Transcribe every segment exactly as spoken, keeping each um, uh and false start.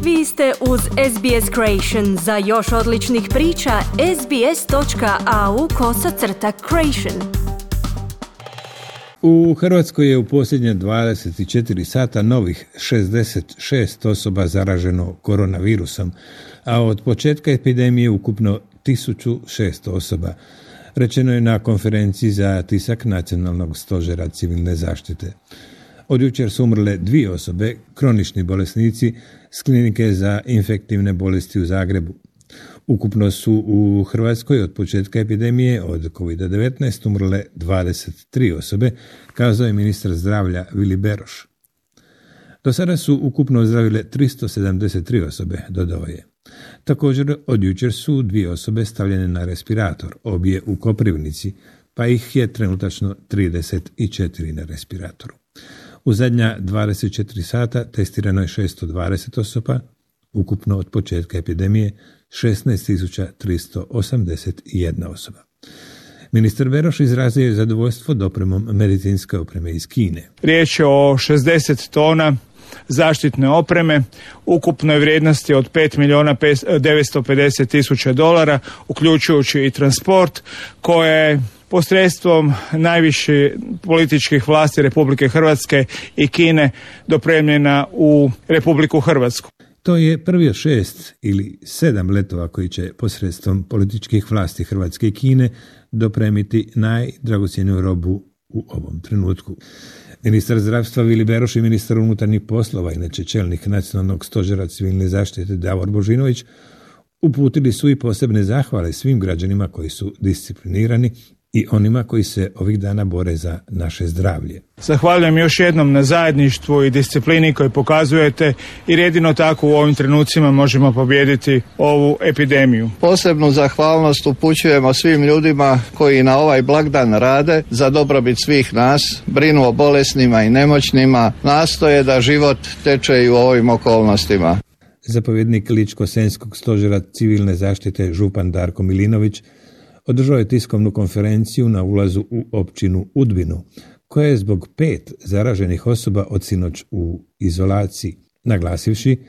Vi ste uz S B S Creation. Za još odličnih priča, sbs.au kosacrta creation. U Hrvatskoj je u posljednje dvadeset četiri sata novih šezdeset šest osoba zaraženo koronavirusom, a od početka epidemije ukupno tisuću šesto osoba. Rečeno je na konferenciji za tisak Nacionalnog stožera civilne zaštite. Od jučer su umrle dvije osobe, kronični bolesnici s klinike za infektivne bolesti u Zagrebu. Ukupno su u Hrvatskoj od početka epidemije od kovid devetnaest umrle dvadeset tri osobe, kazao je ministar zdravlja Vili Beroš. Do sada su ukupno ozdravile tristo sedamdeset tri osobe, dodao je. Također od jučer su dvije osobe stavljene na respirator, obje u Koprivnici, pa ih je trenutačno trideset četiri na respiratoru. U zadnja dvadeset četiri sata testirano je šesto dvadeset osoba, ukupno od početka epidemije šesnaest tisuća tristo osamdeset jedna osoba. Ministar Beroš izrazio je zadovoljstvo dopremom medicinske opreme iz Kine. Riječ je o šezdeset tona zaštitne opreme, ukupnoj vrijednosti od pet milijuna devetsto pedeset tisuća dolara, uključujući i transport, koje je posredstvom najviših političkih vlasti Republike Hrvatske i Kine dopremljena u Republiku Hrvatsku. To je prvi od šest ili sedam letova koji će posredstvom političkih vlasti Hrvatske i Kine dopremiti najdragocjeniju robu u ovom trenutku. Ministar zdravstva Vili Beroš i ministar unutarnjih poslova, inače čelnik Nacionalnog stožera civilne zaštite Davor Božinović, uputili su i posebne zahvale svim građanima koji su disciplinirani i onima koji se ovih dana bore za naše zdravlje. Zahvaljujem još jednom na zajedništvu i disciplini koju pokazujete, jer jedino tako u ovim trenucima možemo pobijediti ovu epidemiju. Posebnu zahvalnost upućujemo svim ljudima koji na ovaj blagdan rade za dobrobit svih nas, brinu o bolesnima i nemoćnima, nastoje da život teče i u ovim okolnostima. Zapovjednik Ličko-senjskog stožera civilne zaštite župan Darko Milinović održao je tiskovnu konferenciju na ulazu u općinu Udbinu, koja je zbog pet zaraženih osoba od sinoć u izolaciji, naglasivši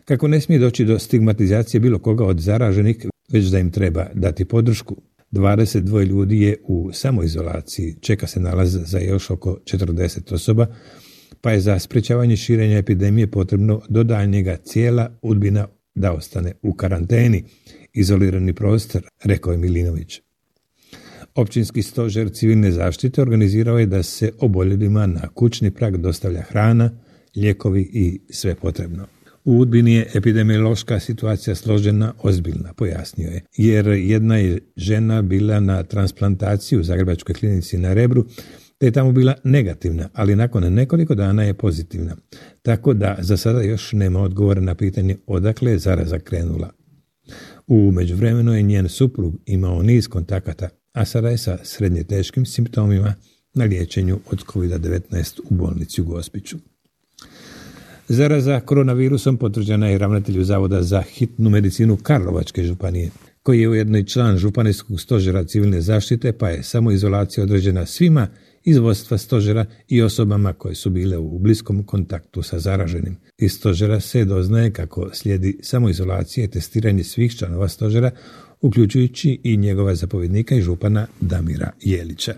kako ne smije doći do stigmatizacije bilo koga od zaraženih, već da im treba dati podršku. dvadeset dva ljudi je u samoizolaciji, čeka se nalaz za još oko četrdeset osoba, pa je za sprečavanje širenja epidemije potrebno do daljnjega cijela Udbina da ostane u karanteni, izolirani prostor, rekao je Milinović. Općinski stožer civilne zaštite organizirao je da se oboljelima na kućni prag dostavlja hrana, lijekovi i sve potrebno. U Udbini je epidemiološka situacija složena, ozbiljna, pojasnio je, jer jedna je žena bila na transplantaciji u Zagrebačkoj klinici na Rebru, te je tamo bila negativna, ali nakon nekoliko dana je pozitivna, tako da za sada još nema odgovora na pitanje odakle je zaraza krenula. U međuvremenu je njen suprug imao niz kontakata, a sada je sa srednje teškim simptomima na liječenju od kovid devetnaest u bolnici u Gospiću. Zaraza koronavirusom potvrđena je ravnatelju Zavoda za hitnu medicinu Karlovačke županije, koji je ujedno i član županijskog stožera civilne zaštite, pa je samoizolacija određena svima iz vodstva stožera i osobama koje su bile u bliskom kontaktu sa zaraženim. Iz stožera se doznaje kako slijedi samoizolacija i testiranje svih članova stožera, uključujući i njegova zapovjednika i župana Damira Jelića.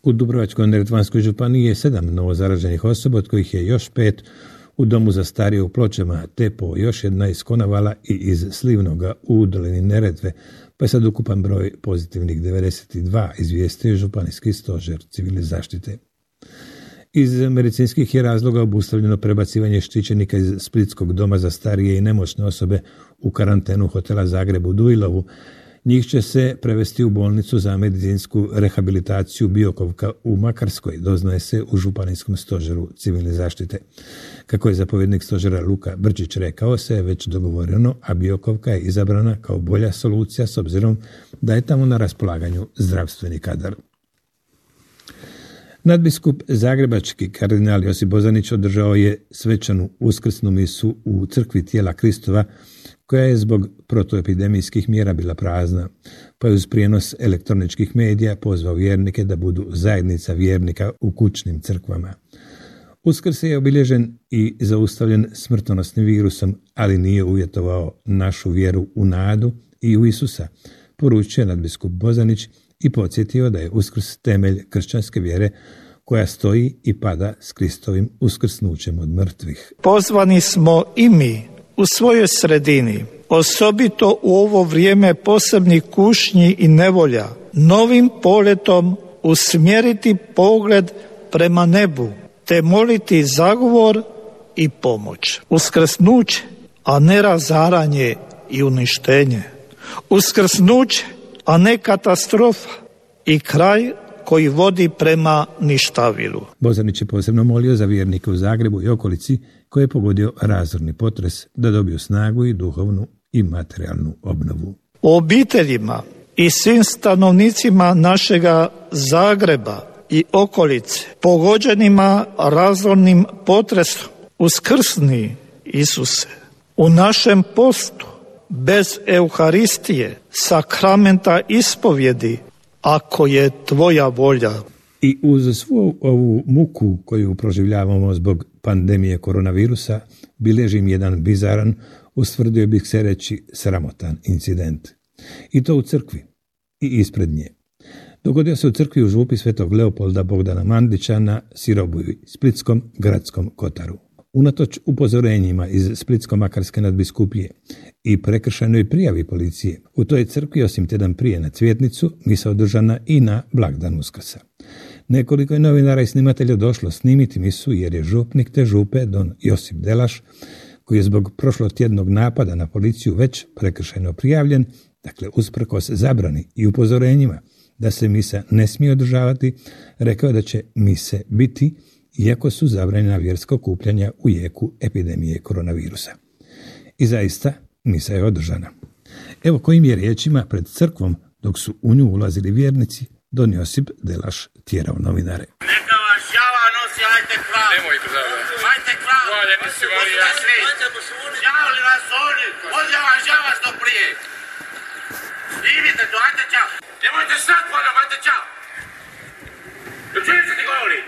U Dubrovačko-neretvanskoj županiji je sedam novozaraženih osoba, od kojih je još pet u domu za starije u Pločama, te po još jedna iz Konavala i iz Slivnoga u dolini Neretve, pa je sad ukupan broj pozitivnih devedeset dva, izvijestio županijski stožer civilne zaštite. Iz medicinskih je razloga obustavljeno prebacivanje štićenika iz Splitskog doma za starije i nemoćne osobe u karantenu hotela Zagreb u Dujlovu. Njih će se prevesti u bolnicu za medicinsku rehabilitaciju Biokovka u Makarskoj, doznaje se u županijskom stožeru civilne zaštite. Kako je zapovjednik stožera Luka Brčić rekao, se je već dogovoreno, a Biokovka je izabrana kao bolja solucija s obzirom da je tamo na raspolaganju zdravstveni kadar. Nadbiskup zagrebački kardinal Josip Bozanić održao je svečanu uskrsnu misu u crkvi Tijela Kristova, koja je zbog protuepidemijskih mjera bila prazna, pa je uz prijenos elektroničkih medija pozvao vjernike da budu zajednica vjernika u kućnim crkvama. Uskrs je obilježen i zaustavljen smrtonosnim virusom, ali nije uvjetovao našu vjeru u nadu i u Isusa, poručio nadbiskup Bozanić i podsjetio da je Uskrs temelj kršćanske vjere koja stoji i pada s Kristovim uskrsnućem od mrtvih. Pozvani smo i mi u svojoj sredini, osobito u ovo vrijeme posebnih kušnji i nevolja, novim poletom usmjeriti pogled prema nebu, te moliti zagovor i pomoć. Uskrsnuće, a ne razaranje i uništenje. Uskrsnuće, a ne katastrofa i kraj koji vodi prema ništavilu. Bozanić je posebno molio za vjernike u Zagrebu i okolici koje je pogodio razorni potres da dobiju snagu i duhovnu i materijalnu obnovu. U obiteljima i svim stanovnicima našega Zagreba i okolice, pogođenima razornim potresom, uskrsni Isuse, u našem postu, bez Euharistije, sakramenta ispovjedi, ako je tvoja volja. I uz svu ovu muku koju proživljavamo zbog pandemije koronavirusa, bilježim jedan bizaran, ustvrdio bih se reći sramotan incident. I to u crkvi i ispred nje. Dogodio se u crkvi u župi Svetog Leopolda Bogdana Mandića na Sirobuju, Splitskom gradskom kotaru. Unatoč upozorenjima iz Splitsko-makarske nadbiskupije i prekršajnoj prijavi policije, u toj crkvi osim tjedan prije na Cvjetnicu misa održana i na blagdan Uskrsa. Nekoliko je novinara i snimatelja došlo snimiti misu jer je župnik te župe don Josip Delaš, koji je zbog prošlotjednog napada na policiju već prekršajno prijavljen, dakle usprkos zabrani i upozorenjima da se misa ne smije održavati, rekao da će mise biti iako su zabranjena vjerska okupljanja u jeku epidemije koronavirusa. I zaista, misa je održana. Evo kojim je riječima pred crkvom, dok su u nju ulazili vjernici, don Josip Delaš tjerao novinare. Neka vas žava nosi, hajte krav. Nemoj država. Hajte krav. Hvaljeni si Marija. Žavali vas oni. Ovdje vam žava što prije. Snimite to, hajte čao. Nemojte sad, hvala, hajte čao. Čujem se ti govori.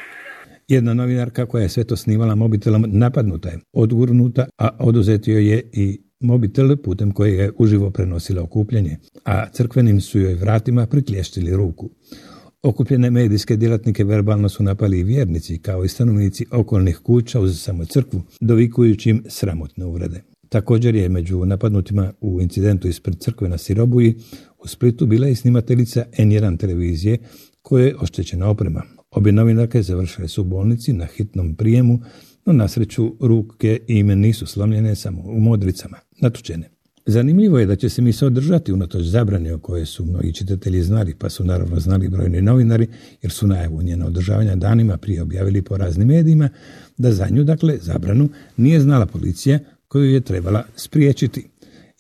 Jedna novinarka koja je sve to snimala mobitelom napadnuta je, odgurnuta, a oduzeti joj je i mobitel putem koje je uživo prenosila okupljanje, a crkvenim su joj vratima priklještili ruku. Okupljene medijske djelatnike verbalno su napali i vjernici, kao i stanovnici okolnih kuća uz samo crkvu, dovikujući im sramotne uvrede. Također je među napadnutima u incidentu ispred crkve na Sirobuji u Splitu bila i snimateljica en jedan televizije koje je oštećena oprema. Obje novinarke završile su u bolnici na hitnom prijemu, no na sreću ruke i ime nisu slomljene, samo u modricama, natučene. Zanimljivo je da će se misa održati unatoč zabrane o koje su mnogi čitatelji znali, pa su naravno znali brojni novinari, jer su najavu njena održavanja danima prije objavili po raznim medijima, da za nju, dakle, zabranu nije znala policija koju je trebala spriječiti.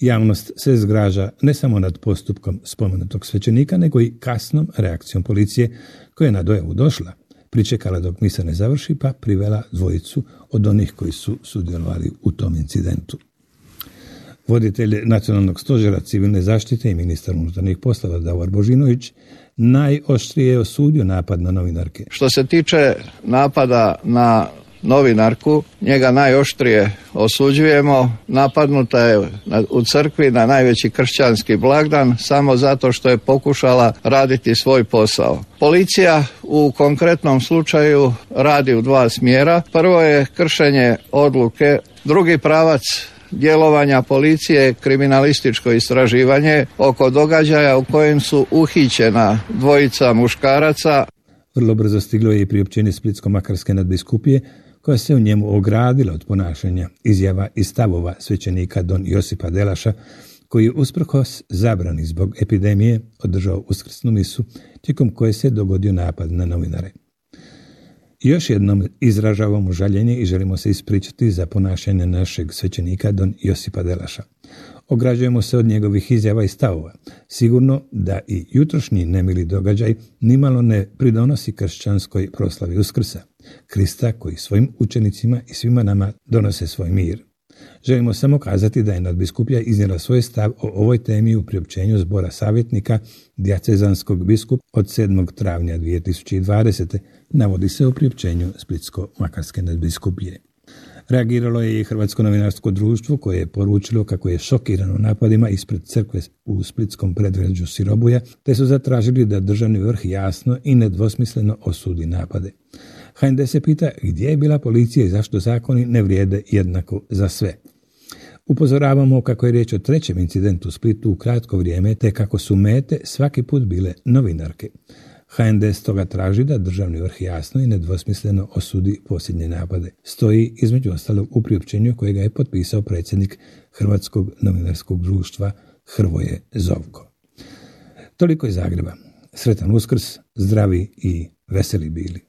Javnost se zgraža ne samo nad postupkom spomenutog svećenika, nego i kasnom reakcijom policije koja je na dojavu došla, pričekala dok misa ne završi, pa privela dvojicu od onih koji su sudjelovali u tom incidentu. Voditelj Nacionalnog stožera civilne zaštite i ministar unutarnjih poslova Davor Božinović najoštrije je osudio napad na novinarke. Što se tiče napada na novinarku, njega najoštrije osuđujemo. Napadnuta je u crkvi na najveći kršćanski blagdan samo zato što je pokušala raditi svoj posao. Policija u konkretnom slučaju radi u dva smjera. Prvo je kršenje odluke, drugi pravac djelovanja policije, kriminalističko istraživanje oko događaja u kojem su uhićena dvojica muškaraca. Vrlo brzo stiglo je i priopćenje Splitsko-makarske nadbiskupije koja se u njemu ogradila od ponašanja, izjava i stavova svećenika don Josipa Delaša, koji je usprkos zabrani zbog epidemije održao uskrsnu misu, tijekom koje se dogodio napad na novinare. Još jednom izražavamo žaljenje i želimo se ispričati za ponašanje našeg svećenika don Josipa Delaša. Ograđujemo se od njegovih izjava i stavova. Sigurno da i jutrošnji nemili događaj nimalo ne pridonosi kršćanskoj proslavi Uskrsa, Krista koji svojim učenicima i svima nama donose svoj mir. Želimo samo kazati da je nadbiskupija iznijela svoj stav o ovoj temi u priopćenju zbora savjetnika dijacezanskog biskupa od sedmog travnja dvije tisuće dvadesete. navodi se u priopćenju Splitsko-makarske nadbiskupije. Reagiralo je i Hrvatsko novinarsko društvo koje je poručilo kako je šokirano napadima ispred crkve u splitskom predgrađu Sirobuja, te su zatražili da državni vrh jasno i nedvosmisleno osudi napade. H N D se pita gdje je bila policija i zašto zakoni ne vrijede jednako za sve. Upozoravamo kako je riječ o trećem incidentu u Splitu u kratko vrijeme, te kako su mete svaki put bile novinarke. H N D stoga traži da državni vrh jasno i nedvosmisleno osudi posljednje napade. Stoji između ostalog u priopćenju kojega je potpisao predsjednik Hrvatskog novinarskog društva Hrvoje Zovko. Toliko iz Zagreba. Sretan Uskrs, zdravi i veseli bili.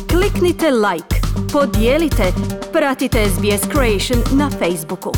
Kliknite like, podijelite, pratite S B S Creation na Facebooku.